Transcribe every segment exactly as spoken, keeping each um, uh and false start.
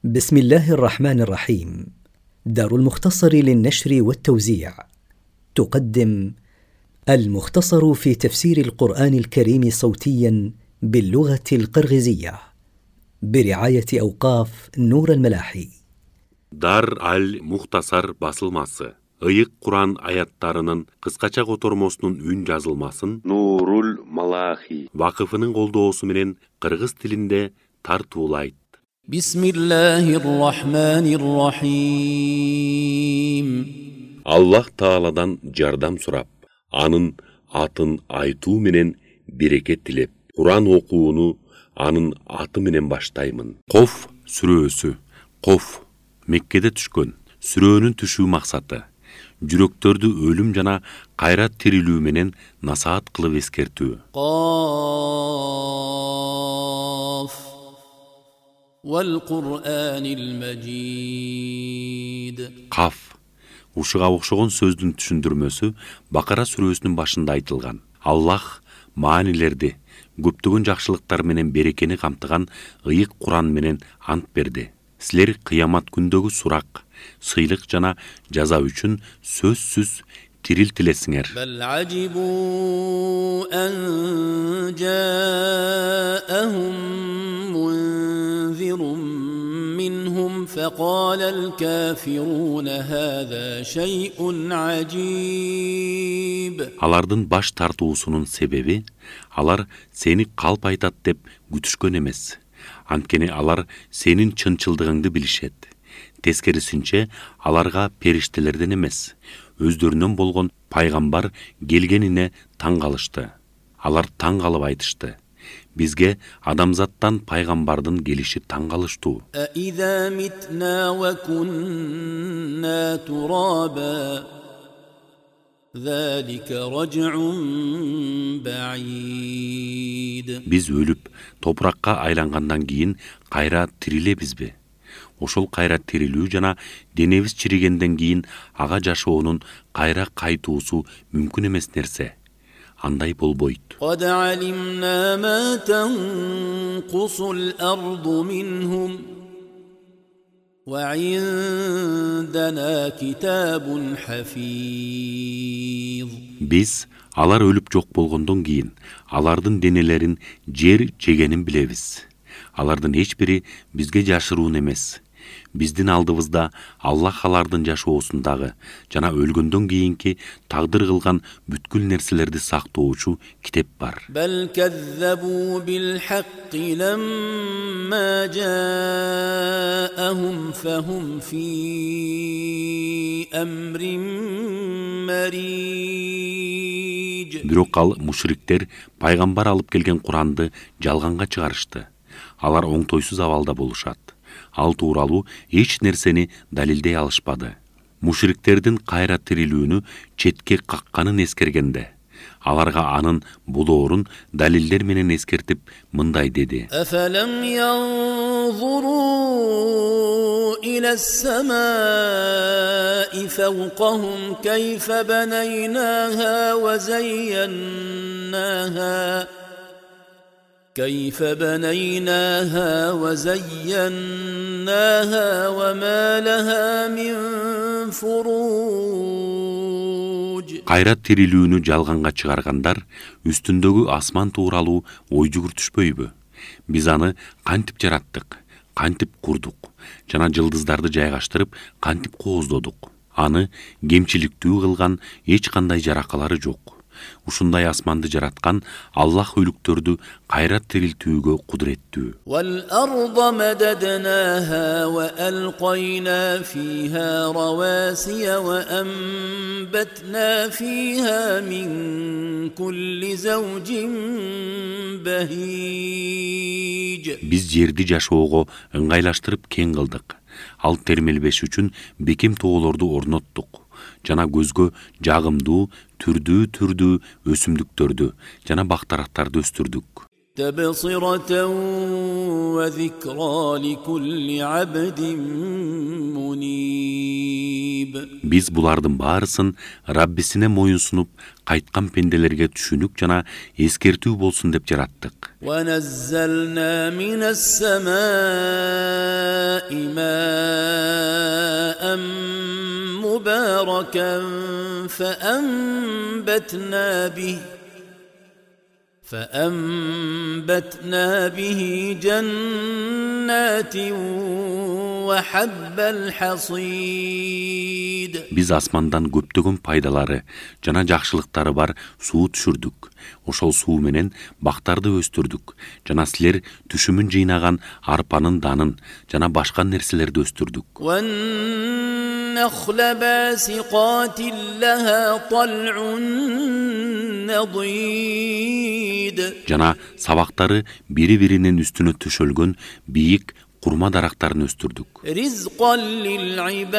بسم الله الرحمن الرحيم. دار المختصر للنشر والتوزيع تقدم المختصر في تفسير القرآن الكريم صوتيا باللغة القرغيزية برعاية أوقاف نور الملاحي. Дар аль-Мухтасар басылмасы. Ыйык Куран аяттарынын кыскача котормосунун үн жазылмасын Нурул Малахи вакыфынын колдоосу менен кыргыз тилинде тартуулайт. Бисмиллахир-рахманир-рахим. Аллах Тааладан жардам сурап, анын атын айтуу менен берекет тилеп, Куран окууну анын аты менен баштаймын. Коф сүрөсү. Коф Меккеде түшкөн. Сүрөнүн түшүү максаты жүрөктөрдү өлүм жана кайра тирилүү менен насаат кылып эскертүү. Каф вал Кур'анил Маджид. Каф ушуга окшогон сөздүн түшүндүрмөсү Бакара сүрөсүнүн башында айтылган. Аллах маанилерди, көптөгөн жакшылыктар менен берекени камтыган ыйык Куран менен ант берди. Силер кыямат күндөгү сурак, сыйлык жана жаза үчүн сөзсүз тирилтилесиңер. Бал ажибу ан жаахум мунзирун минхум факалал кафируна хаза шайъун ажиб. Алардын баш тартуусунун себеби алар сени калп айтат деп күтүшкөн эмес. Анткени алар сенин чынчылдыгыңды билишет. Тескерисинче аларга периштелерден эмес, өздөрүнөн болгон пайгамбар келгенине таң калышты. Алар таң калып айтышты: бизге адамзаттан пайгамбардын келиши таң калыштуу. Аиза митна ва кунна тураба залика раджун баид. Биз өлүп, топуракка айлангандан кийин кайра тирилебизби? Ошол кайра тирилүү жана денебиз чиригенден кийин ага жашоонун кайра кайтуусу мүмкүн эмес нерсе. Андай болбойт. Кад алимна ма танқусул арду минхум ва индана китабун хафиз. Биз алар өлүп жок болгондон кийин алардын денелерин жер жегенин билебиз. Алардын эч бири бизге жашыруун эмес. Биздин алдыбызда Аллах алардын жашоосундагы жана өлгөндөн кийинки тагдыр кылган бүткүл нерселерди сактоочу китеп бар. Бал каззабу бил хакки ламма жаахум фахум фи амрин мариж. Бирок ал мушриктер пайгамбар алып келген Куранды жалганга чыгарышты. Алар оңтойсуз абалда болушат. Ал тууралуу эч нерсени далилдей алышпады. Мушриктердин кайра тирилүүнү четке какканын эскергенде, аларга анын болоорун далилдер менен эскертип мындай деди: Афалам янзуру иля ас-сама'i фавқахум кайфа банайнаха ва зайяннаха كيف بنيناها وزيناها وما لها من فروج. Кайра тирилүүнү жалганга чыгаргандар үстүндөгү асман тууралуу ой жүгүртүшпөйбү? Биз аны кантип жараттык, кантип курдук жана жылдыздарды жайгаштырып кантип кооздодук? Аны кемчиликтүү кылган эч кандай жаракалары жок. Ушундай асманды жараткан Аллах өлүктөрдү кайра тирилтүүгө кудуреттүү. Вал арда мададнаха ва алқайна фиха равасия ва амбатна фиха мин кулли завжин бахиж. Биз жерди жашоого ыңгайлаштырып кең кылдык. Ал термелбеш үчүн бекем тоолорду орноттук жана көзгө жагымдуу түрдүү-түрдүү өсүмдүктөрдү жана бактарактарды өстүрдүк. Табсирatan ва зикра ликулли абдин муниб. Биз булардын баарысын Раббисине моюнсунуп кайткан пенделерге түшүнүк жана эскертүү болсун деп жараттык. Ва наззална минас сама'i مباركا فأنبتنا به فأنبتنا به جنات وحب الحصيد. Биз асмандан көптөгөн пайдалары жана жакшылыктары бар суу түшүрдүк. Ошол суу менен бактарды өстүрдүк жана силер түшүмүн жыйнаган арпанын данын жана башка нерселерди өстүрдүк. والنخل باسقات لها طلع نضيد. Жана сабактары бири-биринин үстүнө төшөлгөн бийик курма дарактарын өстүрдүк. رزقا للعباد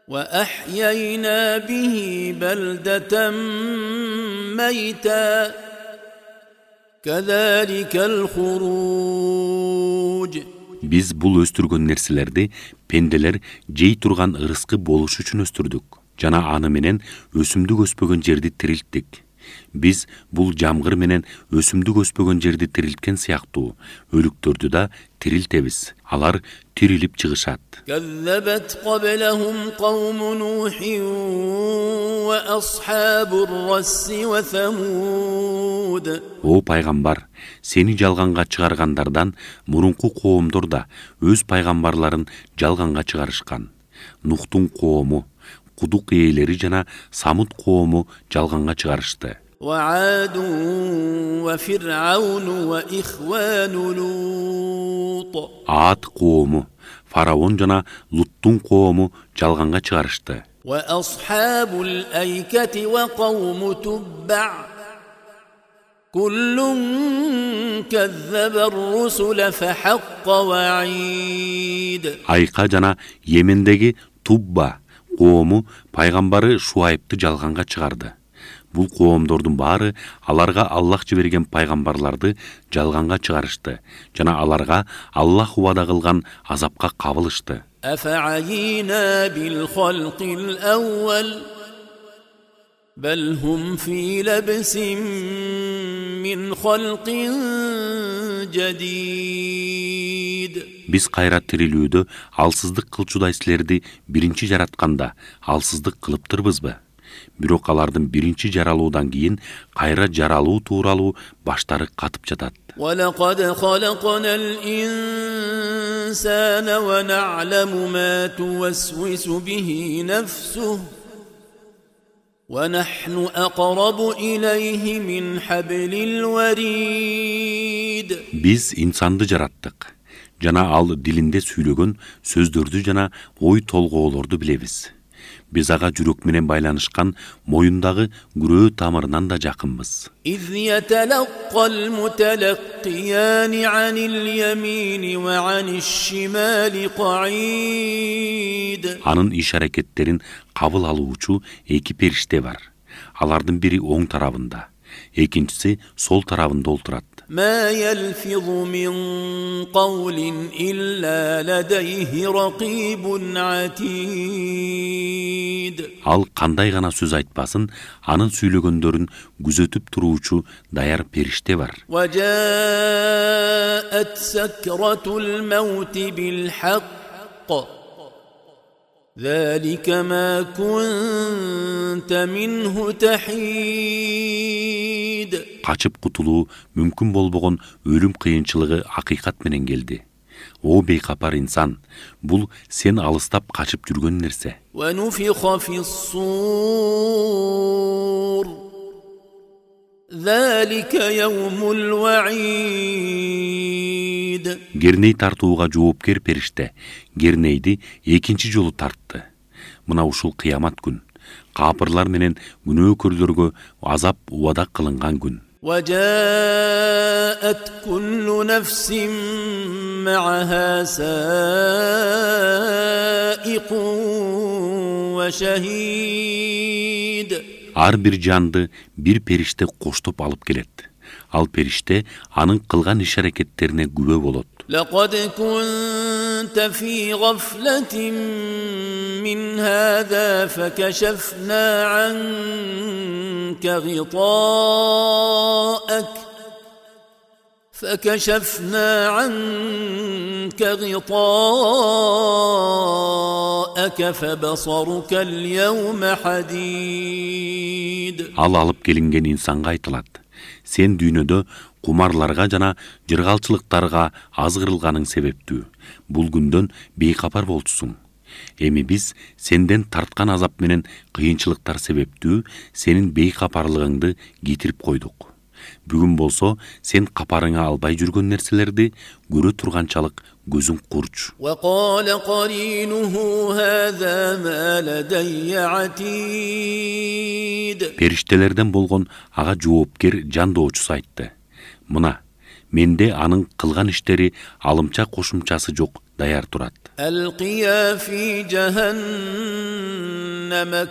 وأحيينا به بلدة ميتا كذلك الخروج. Биз бул өстүргөн нерселерди пенделер жей турган ырыскы болуш үчүн өстүрдүк. Жана аны менен өсүмдүк өспөгөн жерди тирилттик. Биз бул жамгыр менен өсүмдүк өспөгөн жерди тирилткен сыяктуу өлүктөрдү да тирилтебиз. Алар тирилип чыгышат. كذبت قبلهم قوم نوح وأصحاب الرس وثمود. О пайгамбар, сени жалганга чыгаргандардан мурунку коомдор да өз пайгамбарларын жалганга чыгарышкан. Нухтун коому, кудук ээлери жана Самут коому жалганга чыгарышты. وعاد وفرعون وإخوان لوط. Аат коому, Фараон жана Луттун коому жалганга чыгарышты. وأصحاب الأيكة وقوم تبع كل كذب الرسل فحق وعيد. Айка жана Йемендеги Тубба коому пайгамбары Шуайбты жалганга чыгарды. Бул коомдордун баары аларга Аллах жиберген пайгамбарларды жалганга чыгарышты жана аларга Аллах убада кылган азапка кабылышты. أفعينا بالخلق الأول بل هم في لبس من خلق جديد. Биз кайра тирилүүдө алсыздык кылчудай силерди биринчи жаратканда алсыздык кылыптырбызбы? Бирок алардын биринчи жаралуудан кийин кайра жаралуу тууралуу баштары катып жатат. وَلَقَدْ خَلَقْنَا الْإِنسَانَ وَنَعْلَمُ مَا تُوَسْوِسُ بِهِ نَفْسُهُ وَنَحْنُ أَقْرَبُ إِلَيْهِ مِنْ حَبْلِ الْوَرِيدِ. Биз инсанды жараттык. Жана ал дилинде сүйлөгөн сөздөрдү жана ой толгоолорду билебиз. Биз ага жүрөк менен байланышкан моюндагы күрөө тамырынан да жакынбыз. إِذْ يَتَلَقَّى الْمُتَلَقِّيَانِ عَنِ الْيَمِينِ وَعَنِ الشِّمَالِ قَعِيدٌ. Анын иш аракеттерин кабыл алуучу эки периште бар. Алардын бири оң тарабында, экинчиси сол тарабында отурат. ما يلفظ من قول إلا لديه رقيب عتيد. Ал кандай гана сөз айтпасын, анын сүйлөгөндөрүн күзөтүп туруучу даяр периште бар. وجاءت سكرة الموت بالحق ذلك ما كنت منه تحيد. Качып кутулуу мүмкүн болбогон өлүм кыйынчылыгы акыйкат менен келди. О бейкапар инсан, бул сен алыстап качып жүргөн нерсе. ونفخ في الصور ذلك يوم الوعيد. Герней тартууга жоопкер периште Гернейди экинчи жолу тартты. Мына ушул кыямат күн. Капырлар менен күнөөкөрлөргө азап убада кылынган күн. وجاءت كل نفس معها سائق وشهيد. Ар бир жанды бир периште коштоп алып келет. Ал периште анын кылган иш аракеттерине күбө болот. لقد كنت في غفلة من هذا فكشفنا عنك غطاءك فكشفنا عنك غطاءك فبصرك اليوم حديد. Ал алып келинген инсанга айтылат: сен дүйнөдө кумарларга жана жыргалчылыктарга азгырылганың себептүү бул күндөн бейкапар болчусуң. Эми биз сенден тарткан азап менен кыйынчылыктар себептүү сенин бейкапарлыгыңды кетирип койдук. Бүгүн болсо сен капарыңа албай жүргөн нерселерди көрө турганчалык көзүң курч. وقال قرينه هذا ما لدي عتيد. Периштелерден болгон ага жоопкер жандоочусу айтты: мына менде анын кылган иштери алымча кошумчасы жок, даяр турат. ألقيا في جهنم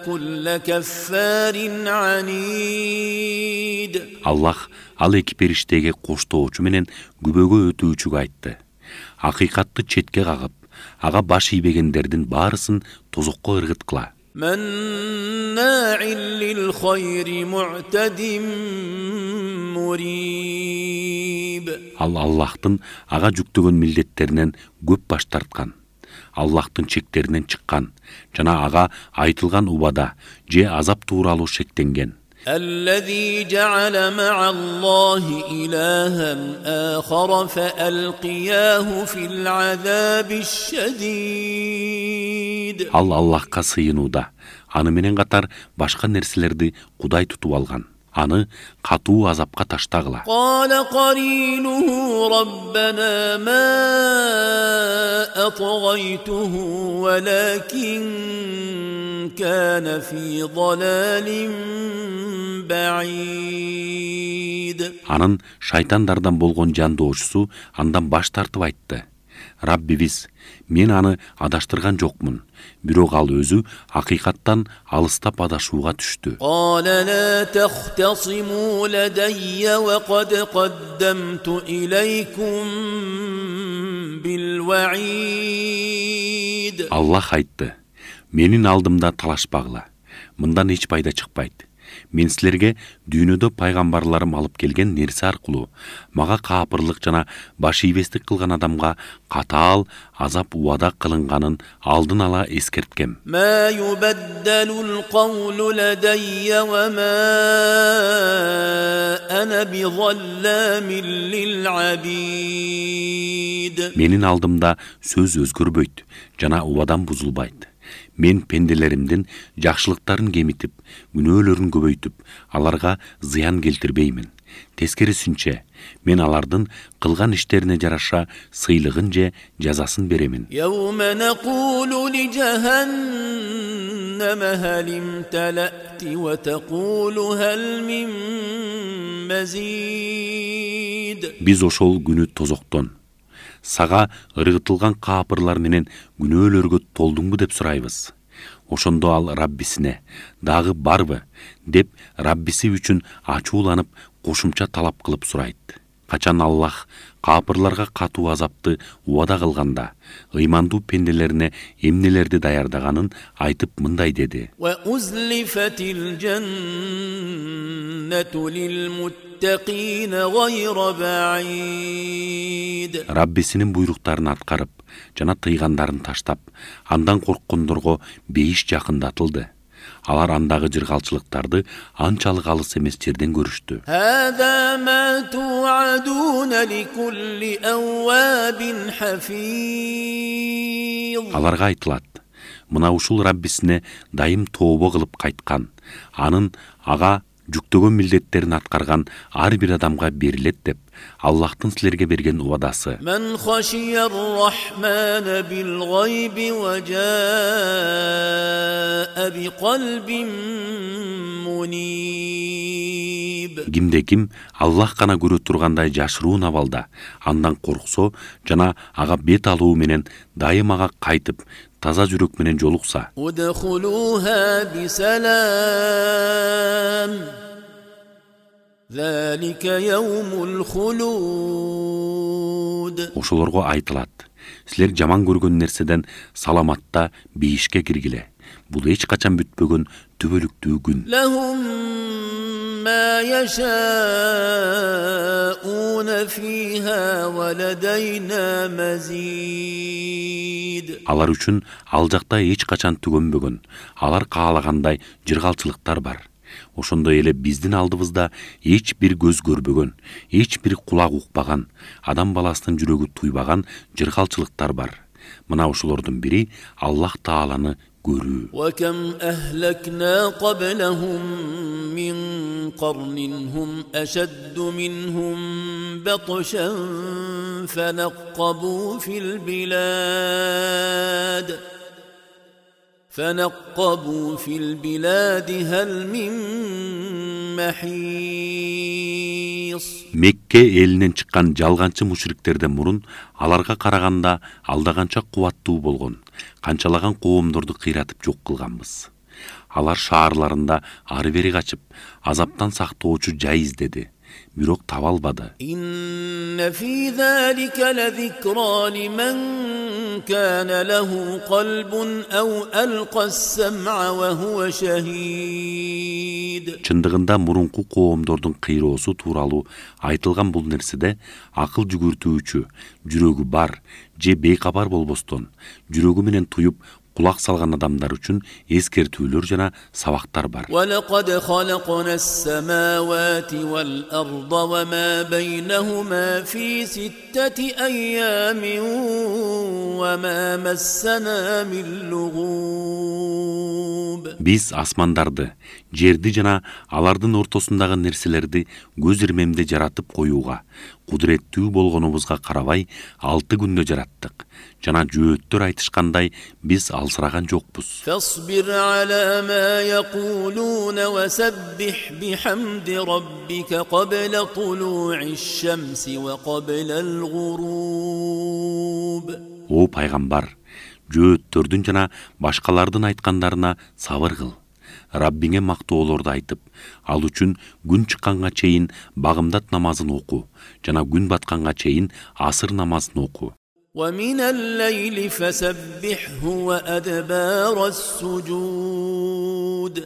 كل كفار عنيد. Аллах ал эки периштеге коштоочу менен күбөгө өтүүчүгө айтты: акыйкатты четке кагып, ага баш ийбегендердин баарысын тозокко ыргыткыла. مناع للخير معتد مريب. Ал Аллахтын ага жүктөгөн милдеттеринен көп баш тарткан, Аллахтын чектеринен чыккан жана ага айтылган убада же азап тууралуу шектенген. الذي جعل مع الله إلها آخر فألقياه في العذاب الشديد. Ал Аллахка сыйынууда, аны менен катар башка нерселерди кудай тутуп алган. Аны катуу азапка таштагыла. قال قرينه ربنا ما أطغيته ولكن كان في ضلال بعيد. Анын шайтандардан болгон жандоочусу андан баш тартып айтты: Раббибиз, мен аны адаштырган жокмун, бирок ал өзү акыйкаттан алыстап адашууга түштү. قال لا تختصموا لدي وقد قدمت إليكم بالوعيد. Аллах айтты: менин алдымда талашпагыла, мындан эч пайда чыкпайт. Мен силерге дүйнөдө пайгамбарларым алып келген нерсе аркылуу мага каапырлык жана баш ийбестик кылган адамга катаал азап убада кылынганын алдын ала эскерткем. ما يبدل القول لدي وما أنا بظلام للعبيد. Менин алдымда сөз өзгөрбөйт жана убадан бузулбайт. Мен пенделеримдин жакшылыктарын кемитип, күнөөлөрүн көбөйтүп, аларга зыян келтирбеймин. Тескерисинче, мен алардын кылган иштерине жараша сыйлыгын же жазасын беремин. يوم نقول لجهنم هل امتلأت وتقول هل من مزيد. Биз ошол күнү тозоктон сага ыргытылган каапырлар менен күнөөлөргө толдуңбу деп сурайбыз. Ошондо ал Раббисине: дагы барбы деп Раббиси үчүн ачууланып кошумча талап кылып сурайт. Качан Аллах каапырларга катуу азапты убада кылганда, ыймандуу пенделерине эмнелерди даярдаганын айтып мындай деди: وأزلفت الجنة للمتقين غير بعيد. Раббисинин буйруктарын аткарып, жана тыйгандарын таштап, андан корккондорго бейиш жакындатылды. Алар андагы жыргалчылыктарды анчалык алыс эмес жерден көрүштү. هذا ما توعدون لكل أواب حفيظ. Аларга айтылат: мына ушул Раббисине дайым тообо кылып кайткан, анын ага жүктөгөн милдеттерин аткарган ар бир адамга берилет деп Аллахтын силерге берген убадасы. من خشي الرحمن بالغيب وجاء بقلب منيب. Кимде ким Аллах гана көрө тургандай жашыруун абалда андан корксо жана ага бет алуу менен дайым ага кайтып таза жүрөк менен жолукса. ادخلوها بسلام ذلك يوم الخلود. Ошолорго айтылат: силер жаман көргөн нерседен саламатта бейишке киргиле. Бул эч качан бүтпөгөн түбөлүктүү күн. لهم ما يشاءون فيها ولدينا مزيد. Алар үчүн ал жакта эч качан түгөнбөгөн, алар каалагандай жыргалчылыктар бар. Ошондой эле биздин алдыбызда эч бир көз көрбөгөн, эч бир кулак укпаган, адам баласынын жүрөгү туйбаган жыргалчылыктар бар. Мына ошолордун бири Аллах Тааланы көрүү. وكم أهلكنا قبلهم من قرن هم أشد منهم بطشا فنقبوا في البلاد فنقبوا في البلاد هل من محيص. Мекке элинен чыккан жалганчы мушриктерден мурун аларга караганда алдаганча кубаттуу болгон, канчалаган коомдорду кыйратып жок кылганбыз. Алар шаарларында ары бери качып, азаптан сактоочу жай издеди, бирок таба албады. إن في ذلك لذكرى لمن كان له قلب أو ألقى السمع وهو شهيد. Чындыгында мурунку коомдордун кыйроосу тууралуу айтылган бул нерседе акыл жүгүртүүчү, жүрөгү бар же бейкабар болбостон, жүрөгү менен туюп кулак салган адамдар үчүн эскертүүлөр жана сабактар бар. ولقد خلقنا السماوات والأرض وما بينهما في ستة أيام وما مسنا من لغوب. Биз асмандарды, жерди жана алардын ортосундагы нерселерди көз ирмемде жаратып коюуга, кудуреттүү болгонубузга карабай алты күндө жараттык. Жана жөөттөр айтышкандай биз алсыраган жокпуз. فاصبر على ما يقولون وسبح بحمد ربك قبل طلوع الشمس وقبل الغروب. О пайгамбар, жөөттөрдүн жана башкалардын айткандарына сабыр кыл. Раббиңе мактоолорду айтып, ал үчүн күн чыкканга чейин багымдат намазын оку, жана күн батканга чейин асыр намазын оку. ومن الليل فسبحه وأدبار السجود.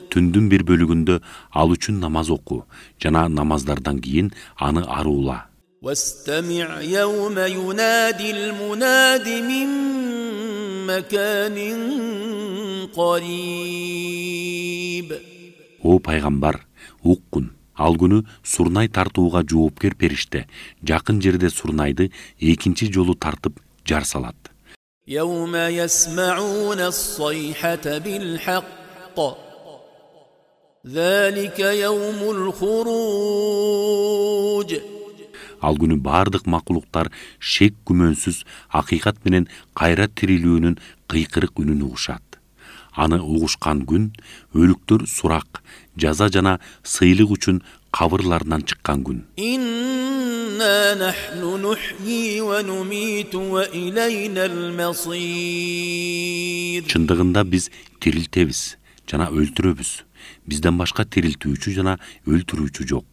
Түндүн бир бөлүгүндө ал үчүн намаз оку, жана намаздардан кийин аны аруула. واستمع يوم ينادي المناد من مكان قريب. О пайгамбар, уккун. Ал күнү сурнай тартууга жоопкер периште жакын жерде сурнайды экинчи жолу тартып жар салат. يوم يسمعون الصيحة بالحق ذلك يوم الخروج. Ал күнү бардык макулуктар шек күмөнсүз акыйкат менен кайра тирилүүнүн кыйкырык үнүн угушат. Аны угушкан күн өлүктөр сурак, жаза жана сыйлык үчүн кабырларынан чыккан күн. إنا نحن نحيي ونميت وإلينا المصير. Чындыгында биз тирилтебиз жана өлтүрөбүз. Бизден башка тирилтүүчү жана өлтүрүүчү жок.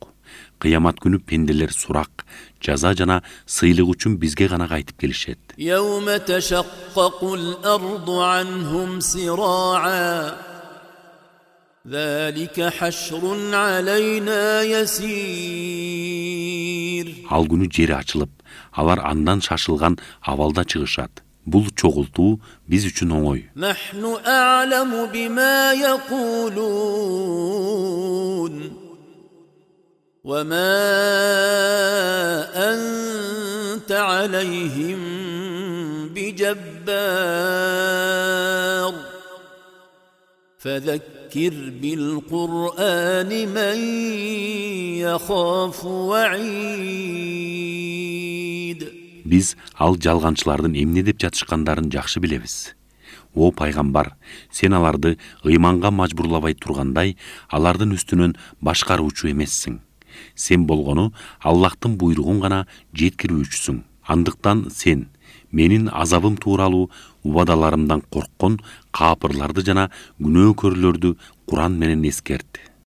Кыямат күнү пенделер сурак, жаза жана сыйлык үчүн бизге гана кайтып келишет. يوم تشقق الأرض عنهم سراعا ذلك حشر علينا يسير. Ал күнү жери ачылып, алар андан шашылган абалда чыгышат. Бул чогултуу биз үчүн оңой. نحن أعلم بما يقولون وما أنت عليهم بجبار فذكر بالقرآن من يخاف وعيد. Биз ал жалганчылардын эмне деп жатышкандарын жакшы билебиз. О пайгамбар, сен аларды ыйманга мажбурлабай тургандай, алардын үстүнөн башкаруучу эмессиң. Сен болгону Аллахтын буйругун гана жеткирүүчүсүң. Андыктан сен менин азабым тууралуу убадаларымдан корккон капырларды жана күнөөкөрлөрдү Куран менен эскерт.